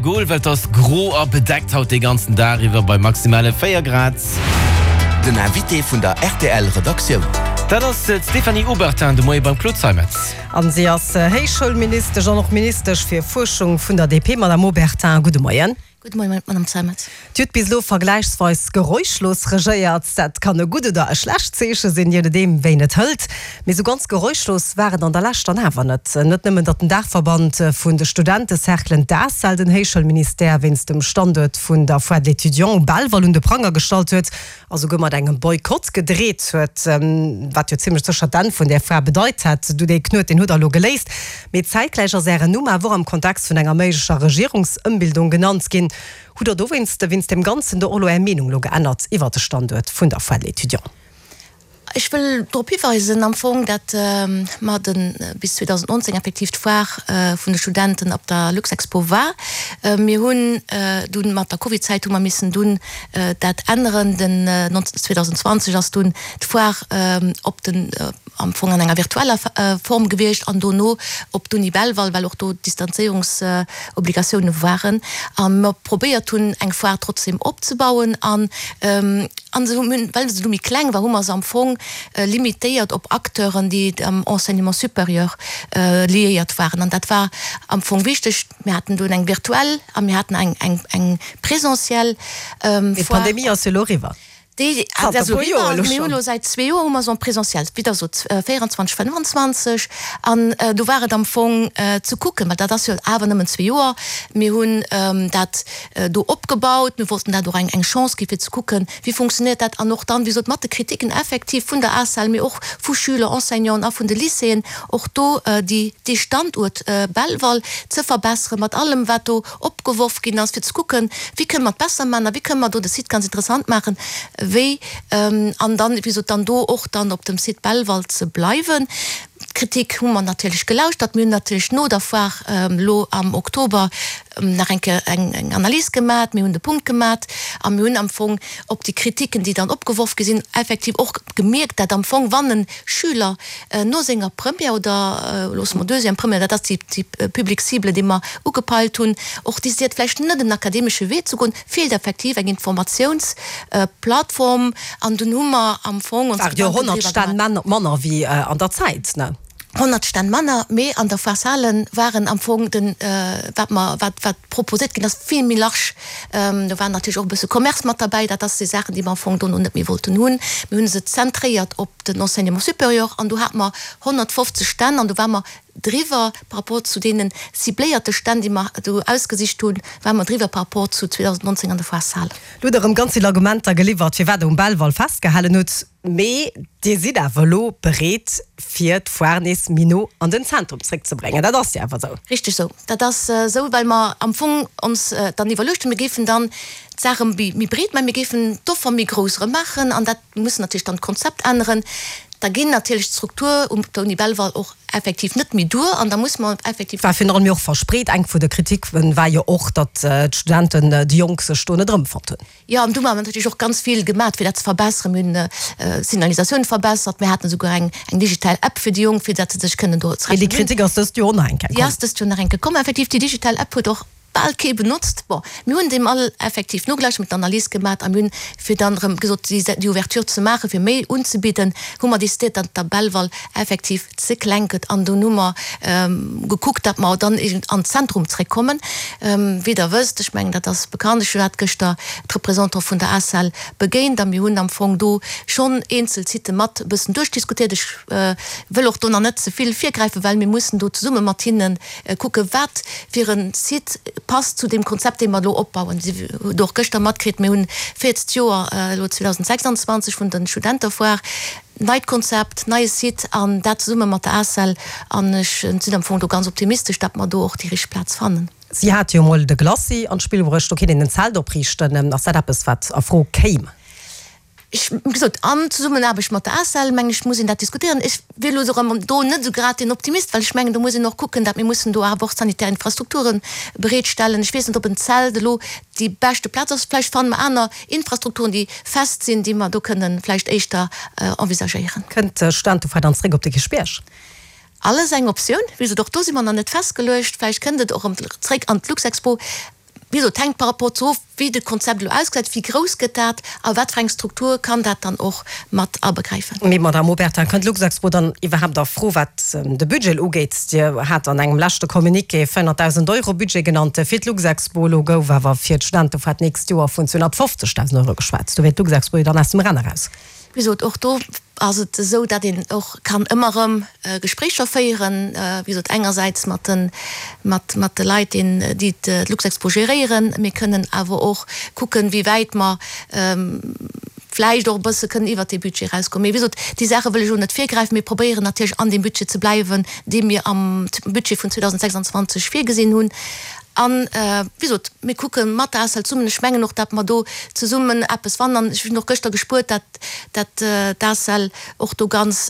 Gol, well et ass gro a bedeckt haut dee ganzen Dag iwwer bei maximale 4 Grad. Den Invité vun der rtl Redaktioun. Dat ass d'Stéphanie Obertin de Moie beim Claude Zeimetz. An si ass Héichschoulministesch an och Ministesch fir Fuerschung vun der DP. Madame Obertin, gudde Moien. Gudde Moien, Madame Zeimetz. Dir hutt bis elo vergläichsweis geräuschlos regéiert. Dat kann e gutt oder e schlecht Zeeche sinn, je nodeem wéi een et hëlt. Mee esou ganz geräuschlos war et an der Lescht dann awer net. Net nëmmen, datt den Daachverband vun de Studentecerclen, d'ACEL, den Héichschoulministère wéinst dem Standuert vun der Foire de l'étudiant um Belval un de Pranger gestallt huet a souguer mat engem Boykott gedreet huet, wat jo zimmlech sécher d'Enn vun där Foire bedeit hätt. Du, dee Knuet, deen hutt der elo geléist. Mee zäitgläich ass Ären Numm awer och am Kontext vun enger méiglecher Regierungsëmbildung genannt ginn. Hutt Der dowéinst, wéinst deem Ganzen do och elo Är Meenung elo geännert iwwert de Standuert vun der Foire de l'étudiant? Ech wëll drop hiweisen am Fong, dat mer de bis 2019 effektiv d'Foire vun de Studenten op der Luxexpo war. Mir hunn dunn mat der Covidzäit hu mer missen dunn dat änneren. Den 2020 ass dunn d'Foire op den am Fong an enger virtueller Form gewiescht an dono op d'Uni Belval, well och do Distanzéierungsobligatioune waren a mer probéiert hunn eng Foire trotzdem opzebauen an an se hunn, well se du méi kleng war, hu mer se am Fong limitéiert op Acteuren, déi am Enseignement supérieur liéiert waren an dat war am Fong wichteg. Mir haten dunn eng virtuell a mir haten eng eng présentiel Foire. D'Pandemie ass jo elo eriwwer. Déi ass elo eriwwer. Mir hunn elo säit zwee Joer hu mer se en présentiel, wéi Der sot, 24, 25. An do war et am Fong ze kucken, well dat ass jo awer nëmmen zwee Joer, mir hunn dat do opgebaut, mir wollten dat och eng eng Chance gi fir ze kucken, wéi funktionéiert dat an och dann, wéi gesot, mat de Kritiken effektiv vun der ACEL, mee och vu Schüler, Enseignanten a vun de Lycéeën, och do déi dee Standuert Belval ze verbesseren, mat allem wat do opgeworf ginn ass, fir ze kucken, wéi kënne mer et besser maachen a wéi kënne mer do de Site ganz interessant maachen, wéi an dann, wéi gesot, dann do och dann op dem Site Belval ze bleiwen. D'Kritik hu mer natierlech gelauschtert. Mir hunn natierlech no der Foire elo am Oktober nach eng Kéier eng Analys gemat, mir hunn de Punkt gemat a mir hunn am Fong op déi Kritiken, déi dann opgeworf gi sinn, effektiv och gemierkt, dat am Fong, wann e Schüler No senger Première, oder loosse mer deuxième Première, dat ass déi Public cible, déi mer ugepeilt hunn, och décidéiert vläicht net en akademesche Wee ze goen, feelt effektiv eng Informatiounsplattform. An dunn hu mer am Fong ons Gedanken driwwer gemaach. 100 Stänn manner wéi an der Zäit, ne? 100 Stänn manner, mee an der Foire Salen waren am Fong den, wat mer, wat, wat proposéiert ginn ass, vill méi large. Do war natierlech och e bësse Commerce mat derbäi. Dat ass déi Saachen, déi mer am Fong dono net méi wollten hunn. Mir hu se zentréiert op den Enseignement supérieur an do hate mer 150 Stänn an do ware mer driwwer par rapport zu deene cibléierte Stänn, déi mer do ausgesicht hunn, ware mer driwwer par rapport zu 2019 an der Foire Salen. Lo hutt Der erëm ganz vill Argumenter geliwwert, firwat Der um Belval festgehalen hutt. Mee Dir sidd awer elo bereet, fir d'Foire nees méi no an den Zentrum zréckzebréngen. Dat ass jo awer esou. Richteg esou. Dat ass esou, well mer am Fong ons dann iwwerluecht hunn, mir géifen dann d'Saach erëm méi breet maachen, mir géifen d'Offer méi grouss erëm maachen an dat muss natierlech dann d'Konzept änneren. Da ginn natierlech d'Struktur um der Uni Belval och effektiv net méi duer an da muss mer effektiv. War virun allem jo och verspreet. Eng vun de Kriticke war jo och, datt d'Studenten, déi Jonk sech do net erëmfonnt hunn. Jo, an du hu mer natierlech och ganz vill gemat, fir dat ze verbesseren. Mir hunn d'Signalisatioun verbessert, mir haten esouguer eng eng digital App fir déi Jonk, fir datt se sech kënnen do Mee déi zurechtfannen. Kritik ass dëst Joer och nach eng Kéier Déi komm. ass dëst Joer nach eng Kéier komm. Effektiv, déi digital App huet och bal kee benotzt. Bon, mir hunn deem all effektiv nogelauschtert, mir hunn d'Analys gemat a mir hunn, fir dann erëm gesot, déi déi Ouverture ze maachen, fir méi unzebidden, hu mer decidéiert, datt der Belval effektiv ze kleng gëtt an dunn hu mer gekuckt, datt mer dann eben an d'Zentrum zréckkommen. Wéi Der wësst, ech mengen dat ass bekannt, ech hat gëschter d'Representant vun der ACEL begéint a mir hunn am Fong do schonn eenzel Sitë mat e bëssen duerchdiskutéiert. Ech wëll och do nach net ze vill virgräifen, well mir mussen do zesumme mat hinne kucken, wat fir e Site passt zu deem Konzept, dee mer elo opbauen. Dir hutt och gëschter matkritt, mir hunn 40 Joer elo 2026 vun der Studentefoire. Neit Konzept, neie Site an dat zesumme mat der ACEL. An ech sinn am Fong do ganz optimistesch, datt mer do och déi richteg Plaz fannen. Si hate jo emol de Glacis an d'Spill bruecht, do kéint een en Zelt opriichten. Ass dat eppes, wat a Fro kéim? Ech, wéi gesot, an Zesummenaarbecht mat der ACEL, mengen ech, muss een dat diskutéieren. Ech wier elo erëm do net esou grad deen Optimist, well ech mengen, do muss een och kucken, datt mir mussen do awer och sanitär Infrastrukture bereetstellen. Ech weess net, ob en Zelt elo déi beschte Plaz ass. Vläicht fanne mer aner Infrastrukturen, déi fest sinn, déi mer do kënnen vläicht éischter envisagéieren. Kënnt d'Studentefoire dann zréck op de Kierchbierg? Alles eng Optioun. Wéi gesot, och do si mer nach net festgeluecht. Vläicht kënnt et och erëm zréck an d'Luxexpo. Wéi gesot, et hänkt par rapport zu of, wéi de Konzept elo ausgesäit, wéi grouss gëtt dat a wat fir eng Struktur kann dat dann och mat abegräifen. Mee, Madamm Obertin, kënnt d'Luxexpo dann iwwerhaapt a Fro, wat de Budget ugeet? Dir hat an engem leschte Communiqué 400.000 Euro Budget genannt fir d'Luxexpo. Elo gouf awer fir d'Studentefoire d'nächst Joer vun 250.000 Euro geschwat. Do wier d'Luxexpo jo dann aus dem Rennen eraus. Wéi gesot, och do ass et esou, datt een och kann ëmmer erëm Gespréicher féieren, wéi gesot, engersäits mat de, mat, mat de Leit, deen, déi d'Luxexpo geréieren. Mir kënnen awer och kucken, wéi wäit mer vläicht och e bësse kënnen iwwert dee Budget erausgoen. Mee wéi gesot, déi Saache wëll ech elo net virgräifen. Mir probéieren natierlech an deem Budget ze bleiwen, dee mir am Budget vun 2026 virgesinn hunn. An, wéi gesot, mir kucke mat der ACEL zesummen. Ech mengen och, datt mer do zesummen eppes fannen. An ech hunn och gëschter gespuert, datt, datt d'ACEL och do ganz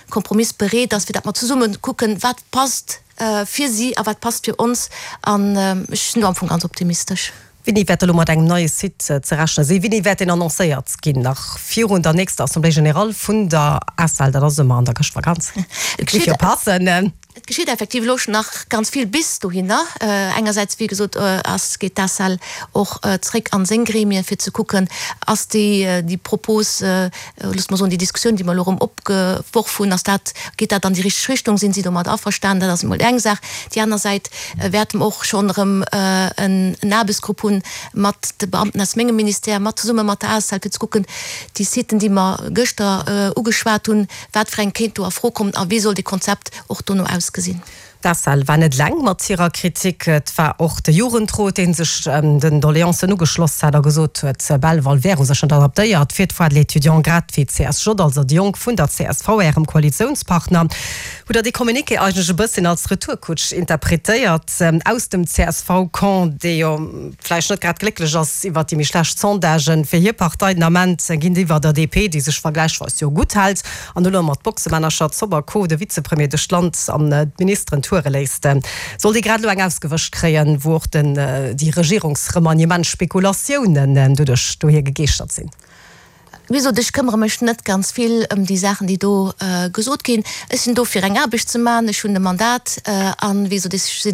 kompromissbereet ass, fir datt mer zesumme kucken, wat passt fir si a wat passt fir ons. An ech sinn do am Fong ganz optimistesch. Wéini wäert elo mat engem neie Site ze rechnen sinn? Wéini wäert deen annoncéiert ginn? Nach virun der nächster Assemblée générale vun der ACEL? Dat ass ëmmer an der Chrëschtvakanz. Et géif jo passen. Et geschitt effektiv elo schon nach ganz vill bis dohinner. Engersäits, wéi gesot, ass, geet d'ACEL och zréck an seng Gremien, fir ze kucken, ass déi, déi Propos, loosse mer soen, déi Diskussioun, déi mer elo erëm opgeworf hunn, ass dat, geet dat an déi richteg Richtung, sinn si domat averstanen? Dat ass emol eng Saach. Déi aner Säit wäerte mer och schonn erëm en Aarbechtsgrupp hunn mat de Beamten aus mengem Ministère, mat zesumme mat der ACEL, fir ze kucken, déi Siten, déi mer gëschter ugeschwat hunn, Wat fir eng kéint do a Fro kommen a wéi soll dee Konzept och dono ausgesinn? D'ACEL war net eleng mat hirer Kritik. Et war och de Jugendrot, dee sech den Doleancen ugeschloss hat a gesot huet, Belval wär u sech net adaptéiert fir d'Foire de l'étudiant, grad wéi d'CSJ, also déi Jonk vun der csv, ärem Koalitiounspartner. Hutt Der dee Communiqué eigentlech e bësschen als Retourkutsch interpretéiert aus dem CSV-Camp, dee jo vläicht net grad glécklech ass iwwert déi méi schlecht Sondagen fir hir Partei den Ament géintiwwer der DP, déi sech vergläichsweis jo gutt hält an elo mat Boxemännercher, Zopp a Co. De Vizepremier duerch d'Land an d'Ministeren toure léisst. Soll dee grad elo eng ausgewëscht kréien, wou och den déi Regierungsremaniement-Spekulatiounen doduerch dohier gegeeschtert sinn? Wéi gesot, ech këmmere mech net ganz vill ëm déi Saachen, déi do gesot ginn. Ech sinn do fir eng Aarbecht ze maachen. Ech hunn e Mandat an, wéi gesot, ech si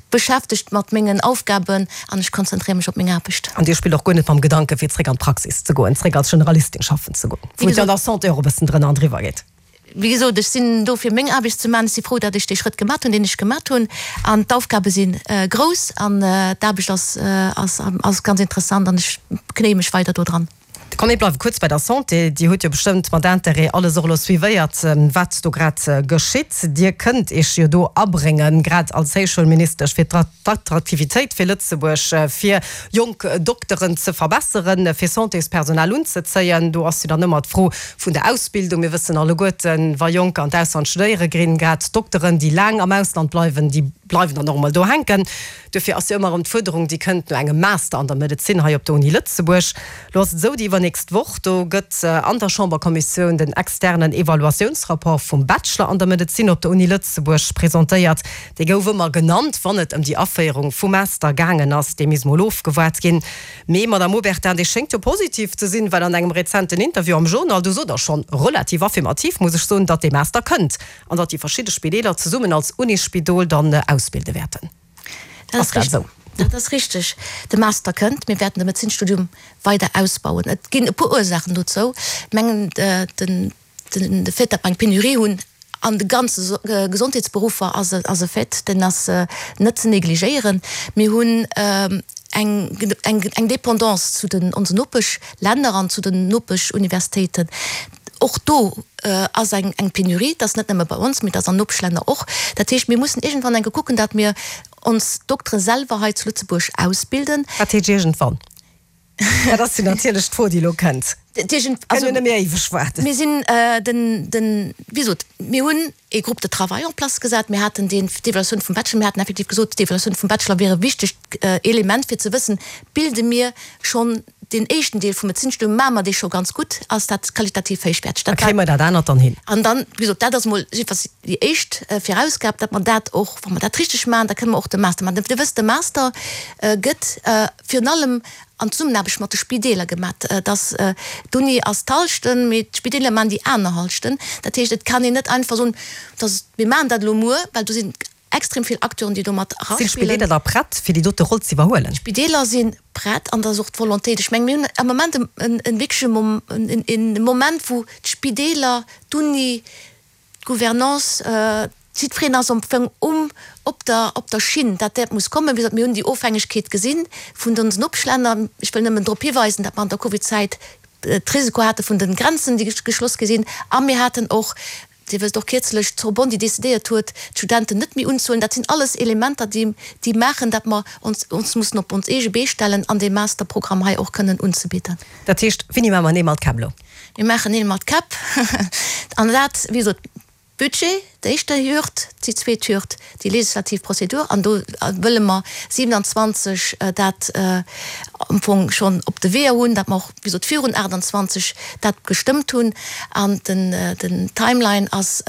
beschäftegt mat mengen Aufgaben an ech konzentréiere mech op meng Aarbecht. An Dir spillt och guer net mam Gedanken, fir zréck an d'Praxis ze goen, zréck als Generalistin schaffen ze goen, wou et jo an der Santé och e bëssen drënner an driwwer geet? Wéi gesot, ech sinn do fir meng Aarbecht ze maachen. Ech si frou, datt ech dee Schrëtt gemat hunn, deen ech gemat hunn. An d'Aufgabe si grouss an d'Aarbecht ass, ass, ass ganz interessant an ech knéie mech weider do dran. Komm mir bleiwe kuerz bei der Santé. Dir hutt jo bestëmmt mat Interêt alles och elo suivéiert, wat do grad geschitt. Dir kënnt Iech jo do abréngen, grad als Héichschoulministesch, fir d'Attraktivitéit fir Lëtzebuerg, fir jonk Dokteren ze verbesseren, fir Santéspersonal unzezéien. Do ass jo dann ëmmer d'Fro vun der Ausbildung. Mir wëssen alleguerten, wa Jonker an d'Ausland studéiere ginn, grad d'Dokteren, déi laang am Ausland bleiwen, déi bleiwen dann och emol do hänken. Duerfir ass jo ëmmer erëm d'Fuerderung, déi kënnt no engem Master an der Medezin hei op der Uni Lëtzebuerg. Elo ass et esou, déi iwwernächst Woch, do gëtt an der Chamberkommissioun den externen Evaluatiounsrapport vum Bachelor an der Medezin op der Uni Lëtzebuerg presentéiert. Dee gouf ëmmer genannt, wann et ëm déi Aféierung vum Master gaangen ass. Dee misst mol ofgewaart ginn. Mee, Madame Obertin, dee schéngt jo positiv ze sinn, well an engem rezenten Interview am Journal, do sot Der schonn relativ affirmativ, muss ech soen, datt dee Master kënnt an datt déi verschidde Spideeler zesummen als Unisspidol dann ausbilde wäerten. Ass dat esou? Dat ass richteg. De Master kënnt. Mir wäerten de Medezinstudium weider ausbauen. Et ginn e puer Ursaachen dozou. Ech mengen, den. De Fait, datt mer eng Penurie hunn an de ganze Gesondheetsberuffer ass e Fait, deen ass net ze negligéieren. Mir hunn eng Dépendance zu den onsen Nopeschlänner an zu den Nopeschuniversitéiten. Och do ass eng Penurie, dat ass net nëmme bei ons, mee dat ass an Nopeschlänner och. Dat heescht, mir mussen iergendwann eng Kéier kucken, datt mir ons Doktere selwer hei zu Lëtzebuerg ausbilden. Wat heescht iergendwann? Dat ass jo natierlech d'Fro, déi elo kënnt. Kënne jo net méi éiweg waarden. Mir sinn den, den, wéi gesot, mir hunn ee Groupe de travail en place gesat. Mir haten deen, d'Evaluatioun vum Bachelor, mir haten effektiv gesot, d'Evaluatioun vum Bachelor wier e wichtegt Element, fir ze wëssen, bilde mir schonn deen éischten Deel vum Medezinstudium, maache mer dee scho ganz gutt, ass dat qualitativ héichwäerteg. Da kréie mer dat anert dann hin. An dann, wéi gesot, dat ass emol jiddefalls déi éischt Virausgab, datt mer dat och, wa mer dat richteg maachen, da kënne mer och de Master maachen. Dir wësst, de Master gëtt virun allem an Zesummenaarbecht mat de Spideeler gemat. Dass d'Uni ass d'Hallschent, mee d'Spideeler maachen déi aner Hallschent. Dat heescht, et kann een net einfach soen, dass mir maachen dat elo muer, well do sinn. extrem vill Acteuren, déi do mat Sinn eraspillen. d'Spideeler da prett, fir déi dote Roll ze iwwerhuelen? D'Spideeler si prett an da ass och d'Volontéit. Ech menge mir hunn am Moment e wierkleche Moment, wou d'Spideeler, d'Uni, D'Gouvernance, jiddwereen ass am Fong um, op der, op der Schinn, dat dat muss kommen. Wéi gesot, mir hunn déi Ofhängegkeet gesi vun onsen Nopeschlänner. Ech wëll nëmmen drop hiweisen, datt mer an der Covidzäit d'Risiko hate vun de Grenzen, déi geschloss gi sinn. A mir haten och, Dir wësst och, kierzlech d'Sorbonne, déi decidéiert huet, d'Studenten net méi unzehuelen. Dat sinn alles Elementer, déi, déi maachen, datt mer ons, ons mussen op ons eege Bee stellen an dee Masterprogramm hei och kënnen unzebidden. Dat heescht, wéini maache mer Neel mat Käpp elo? Mir maachen Neel mat Käpp. An dat, wéi gesot, Budget, d'éischte Hürd, déi zweet Hürd, déi legislativ Prozedur. An do wëlle mer 27 dat am Fong schonn op de Weeër hunn, dat mer och, wéi gesot, virun 28 dat gestëmmt hunn. An den Timeline ass,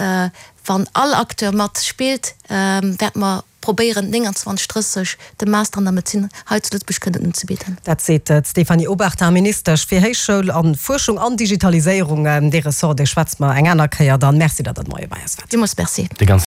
wann all Acteur matspillt, wäerte mer probéieren 29, 30 de Master an der Medezin hei zu Lëtzebuerg kënnen unzebidden. Dat seet d'Stéphanie Obertin, Ministesch fir Héichschoul a Fuerschung an Digitaliséierung. Dee Ressort, dee schwätze mer eng aner Kéier dann. Merci, datt Der de Moie bei eis waart. Villmools Merci.